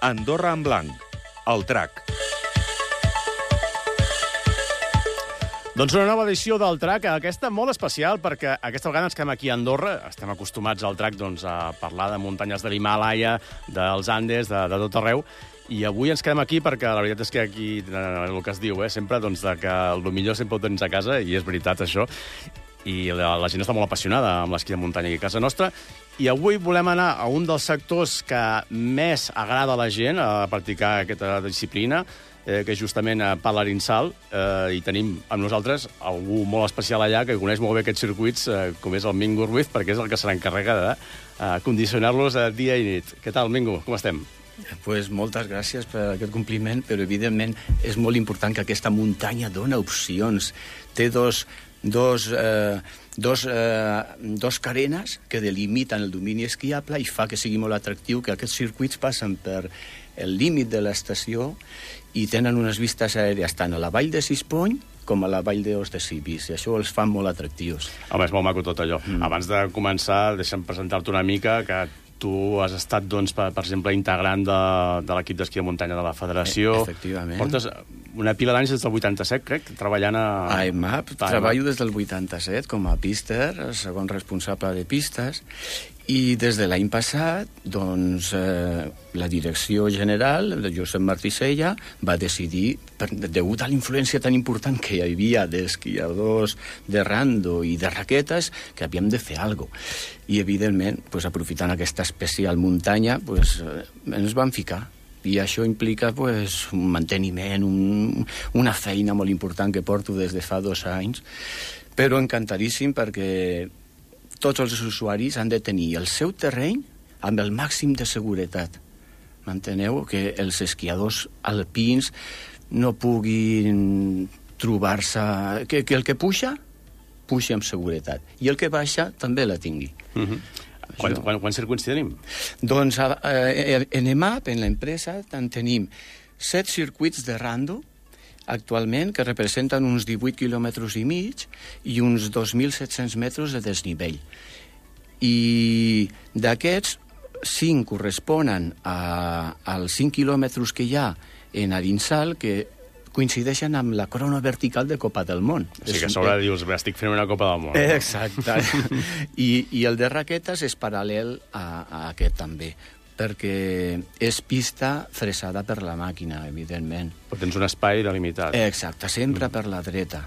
Andorra en blanc, el TRAC. Doncs una nova edició del TRAC, aquesta molt especial, perquè aquesta vegada ens quedem aquí a Andorra. Estem acostumats al TRAC a parlar de muntanyes de l'Himàlaia, dels Andes, de tot arreu. I avui ens quedem aquí perquè la veritat és que aquí, el que es diu, sempre, que el millor sempre ho tens a casa, i és veritat això. I la gent està molt apassionada amb l'esquí de muntanya aquí a casa nostra. I avui volem anar a un dels sectors que més agrada a la gent a practicar aquesta disciplina, que és justament Pal Arinsal, i tenim amb nosaltres algú molt especial allà que coneix molt bé aquests circuits, com és el Mingo Ruiz, perquè és el que se n'encarrega de condicionar-los dia i nit. Què tal, Mingo? Com estem? Pues moltes gràcies per aquest compliment, però evidentment és molt important que aquesta muntanya dona opcions. Té dos carenes que delimiten el domini esquiable i fa que sigui molt atractiu que aquests circuits passen per el límit de l'estació i tenen unes vistes aèries tant a la vall de Sispony com a la vall d'Os de Cibis, i això els fa molt atractius. Home, és molt maco tot allò. Abans de començar, deixa'm presentar-te una mica, que tu has estat, per exemple, integrant de l'equip d'esquí de muntanya de la Federació. Efectivament. Portes una pila d'anys des del 87, crec, treballant a IMAP. Treballo des del 87 com a píster, segon responsable de pistes, i des de l'any passat, doncs, la direcció general de Josep Martí Sella va decidir, degut a la influència tan important que hi havia d'esquiadors de rando i de raquetes, que havíem de fer alguna cosa. I, evidentment, aprofitant aquesta especial muntanya, ens vam ficar. I això implica un manteniment, una feina molt important que porto des de fa 2 anys, però encantadíssim perquè tots els usuaris han de tenir el seu terreny amb el màxim de seguretat. M'enteneu? Que els esquiadors alpins no puguin trobar-se... Que el que puja amb seguretat. I el que baixa també la tingui. Quants circuits tenim? Doncs en EMAP, en l'empresa, tenim 7 circuits de rando, actualment, que representen uns 18 quilòmetres i mig i uns 2.700 metres de desnivell. I d'aquests, 5 corresponen als 5 quilòmetres que hi ha en Arinsal, que coincideixen amb la corona vertical de Copa del Món. O sigui que a sobre dius, estic fent una Copa del Món. Exacte. I el de raquetes és paral·lel a aquest també, perquè és pista fresada per la màquina, evidentment. Però tens un espai delimitat. Exacte, sempre per la dreta.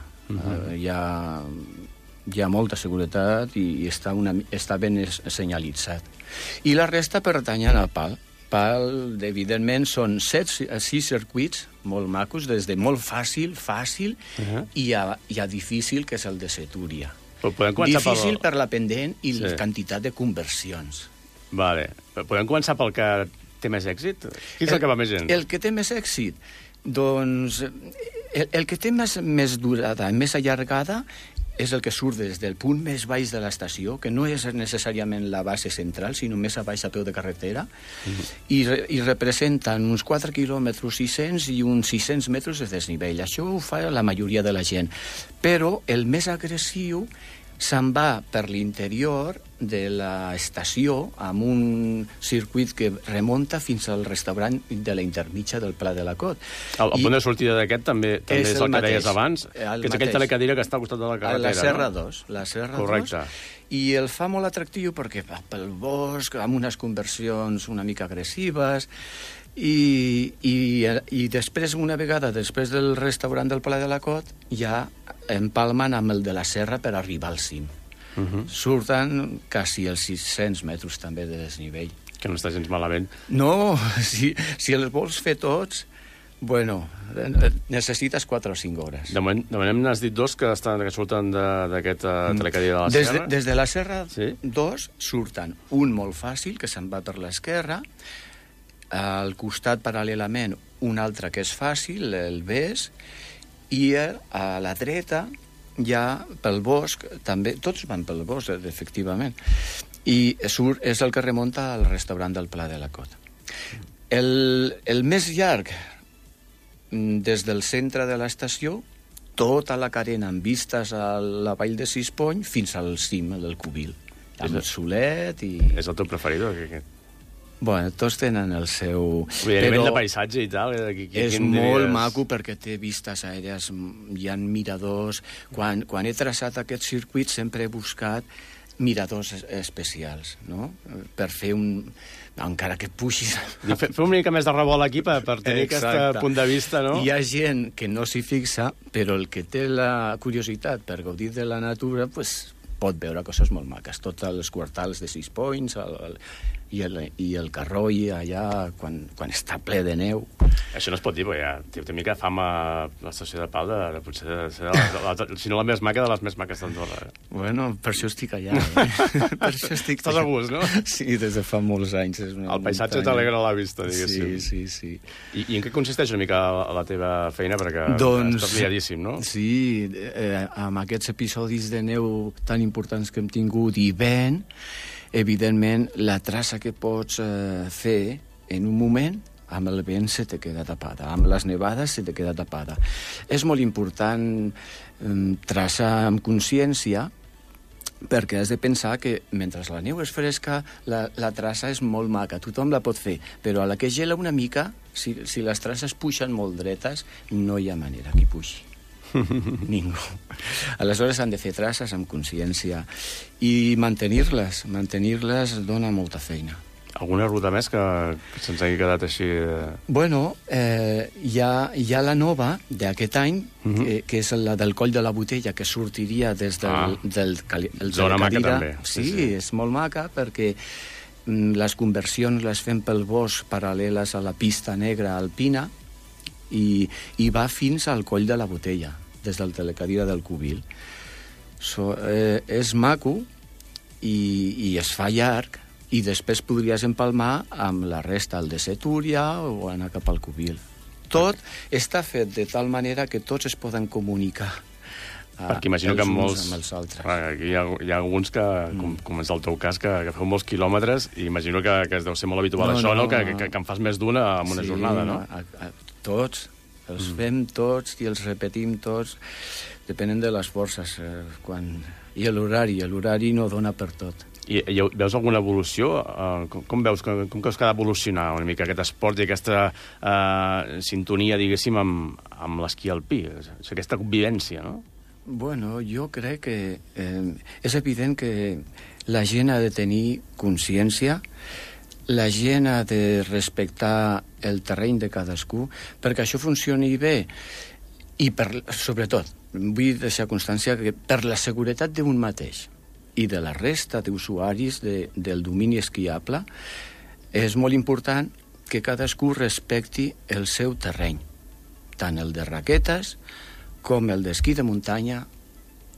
Hi ha molta seguretat i està ben senyalitzat. I la resta pertanyen al PAL. PAL, evidentment, són 6 circuits molt macos, des de molt fàcil i a difícil, que és el de Setúria. Difícil per la pendent i la quantitat de conversions. Vale. Podem començar pel que té més èxit? Qui és el que va més gent? El que té més èxit? Doncs el que té més durada, més allargada, és el que surt des del punt més baix de l'estació, que no és necessàriament la base central, sinó més a baix a peu de carretera, i representen uns 4 quilòmetres 600 i uns 600 metres de desnivell. Això ho fa la majoria de la gent. Però el més agressiu se'n va per l'interior de l'estació amb un circuit que remunta fins al restaurant de la intermitja del Pla de la Cot. El punt de sortida d'aquest també és el que deies abans, que és aquell telecadira que està al costat de la carretera. La Serra 2. La Serra 2. Correcte. I el fa molt atractiu perquè va pel bosc, amb unes conversions una mica agressives, i després, una vegada després del restaurant del Pla de la Cot, ja empalmen amb el de la Serra per arribar al cim. Surten quasi els 600 metres també de desnivell. Que no està gens malament. No, si els vols fer tots, necessites 4 o 5 hores. De moment n'has dit 2 que surten d'aquesta telecadira de la Serra. Des de la Serra 2 surten un molt fàcil, que se'n va per l'esquerra, al costat paral·lelament un altre que és fàcil, el Bes, i a la dreta ja pel bosc, també, tots van pel bosc, efectivament, i és el que remunta al restaurant del Pla de la Cot. El més llarg, des del centre de l'estació, tota la carena amb vistes a la vall de Sispony fins al cim del Cubil, amb el solet i... És el teu preferit, aquest? Bueno, tots tenen el seu... Vull dir, a nivell de paisatge i tal... És molt maco perquè té vistes aèries, hi ha miradors... Quan he traçat aquest circuit sempre he buscat miradors especials, no? Per fer encara que puixis... Fer una mica més de revolt aquí per tenir aquest punt de vista, no? Hi ha gent que no s'hi fixa, però el que té la curiositat per gaudir de la natura, pues, pot veure coses molt maques. Tots els quartals de Six Points i el Carroi allà quan està ple de neu. Això no es pot dir, perquè ja té una mica fama l'estació de Pal de potser ser si no la més maca de les més maques d'Andorra. Bueno, per això estic allà. Per això estic... Estàs a gust, no? Sí, des de fa molts anys. El paisatge t'alegra la vista, diguéssim. Sí. I en què consisteix una mica la teva feina? Perquè estàs liadíssim, no? Sí, amb aquests episodis de neu tan importants que hem tingut i vent, evidentment, la traça que pots fer en un moment, amb el vent se te queda tapada, amb les nevades se te queda tapada. És molt important traçar amb consciència, perquè has de pensar que mentre la neu és fresca, la traça és molt maca, tothom la pot fer, però a la que gela una mica, si les traces puixen molt dretes, no hi ha manera que hi puixi. Ningú. Aleshores han de fer traces amb consciència i mantenir-les dona molta feina. Alguna ruta més que se'ns hagi quedat així? Bueno, hi ha la nova d'aquest any, que és la del Coll de la Botella, que sortiria des del Zona maca també. Sí, és molt maca perquè les conversions les fem pel bosc paral·leles a la pista negra alpina i va fins al Coll de la Botella, des del Telecadira del Cubil. És maco i es fa llarg, i després podries empalmar amb la resta, el de Setúria o anar cap al Cubil. Tot està fet de tal manera que tots es poden comunicar perquè imagino que uns amb els altres. Aquí hi ha alguns que, com és el teu cas, que feu molts quilòmetres, i imagino que es deu ser molt habitual això, no? Que en fas més d'una en una jornada, no? Tots. Els fem tots i els repetim tots. Depenent de les forces. I l'horari no dona per tot. I veus alguna evolució? Com veus que ha d'evolucionar una mica aquest esport i aquesta sintonia, diguéssim, amb l'esquí alpí? Aquesta convivència, no? Bueno, jo crec que és evident que la gent ha de tenir consciència, la gent ha de respectar el terreny de cadascú, perquè això funcioni bé, i sobretot, vull deixar constància que per la seguretat d'un mateix i de la resta d'usuaris del domini esquiable, és molt important que cadascú respecti el seu terreny, tant el de raquetes com el d'esquí de muntanya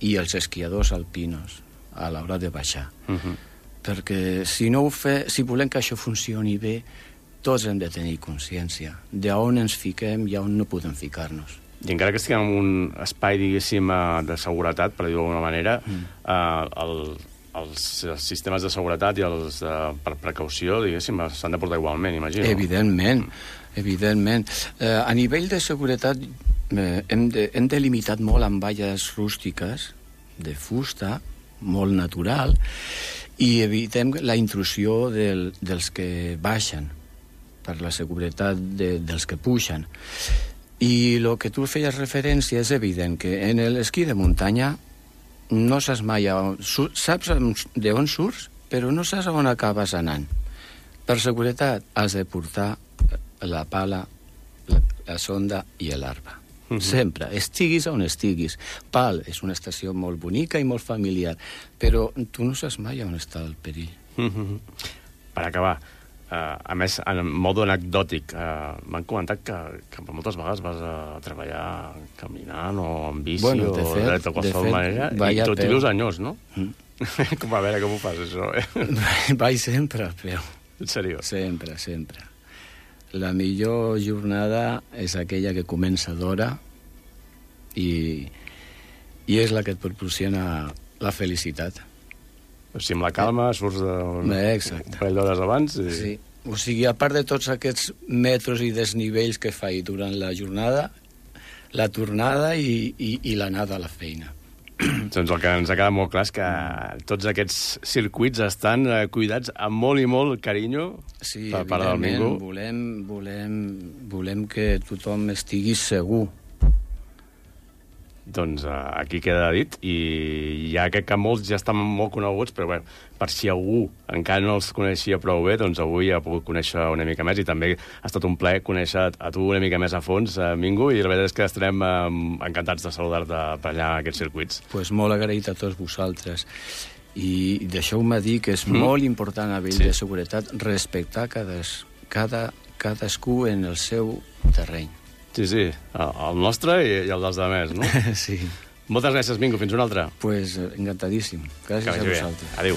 i els esquiadors alpinos a l'hora de baixar. Perquè si volem que això funcioni bé, tots hem de tenir consciència d'on ens fiquem i on no podem ficar-nos. I encara que estiguem en un espai, diguéssim, de seguretat, per dir-ho d'alguna manera, els sistemes de seguretat i els per precaució, diguéssim, s'han de portar igualment, imagino. Evidentment. A nivell de seguretat hem delimitat molt amb valles rústiques de fusta, molt natural, i evitem la intrusió dels que baixen, per la seguretat dels que pugen. I el que tu feies referència és evident que en l'esquí de muntanya no saps mai saps d'on surts, però no saps on acabes anant. Per seguretat has de portar la pala, la sonda i l'arpa. Sempre, estiguis on estiguis. Pal és una estació molt bonica i molt familiar, però tu no saps mai on està el perill. Per acabar, a més, en modo anecdòtic, m'han comentat que moltes vegades vas a treballar caminant o en bici o de qualsevol manera, i tot i vius anyós, no? Com a veure com ho fas, això? Vaig sempre a peu. En sèrio? Sempre. La millor jornada és aquella que comença d'hora i és la que et proporciona la felicitat. O sigui, amb la calma surts un parell d'hores abans. Sí. O sigui, a part de tots aquests metros i desnivells que faig durant la jornada, la tornada i l'anada a la feina. Doncs el que ens ha quedat molt clar és que tots aquests circuits estan cuidats amb molt i molt carinyo per part del Mingo. Volem que tothom estigui segur. Doncs aquí queda dit, i ja crec que molts ja estan molt coneguts, però bé, per si algú encara no els coneixia prou bé, doncs avui ha pogut conèixer una mica més, i també ha estat un plaer conèixer a tu una mica més a fons, Mingo, i la veritat és que estarem encantats de saludar-te per allà a aquests circuits. Pues molt agraït a tots vosaltres. I deixeu-me dir que és molt important a nivell de seguretat respectar cadascú en el seu terreny. Sí, el nostre i el dels altres, no? Sí. Moltes gràcies, Mingo. Fins una altra. Pues encantadíssim. Gràcies a vosaltres. Adéu.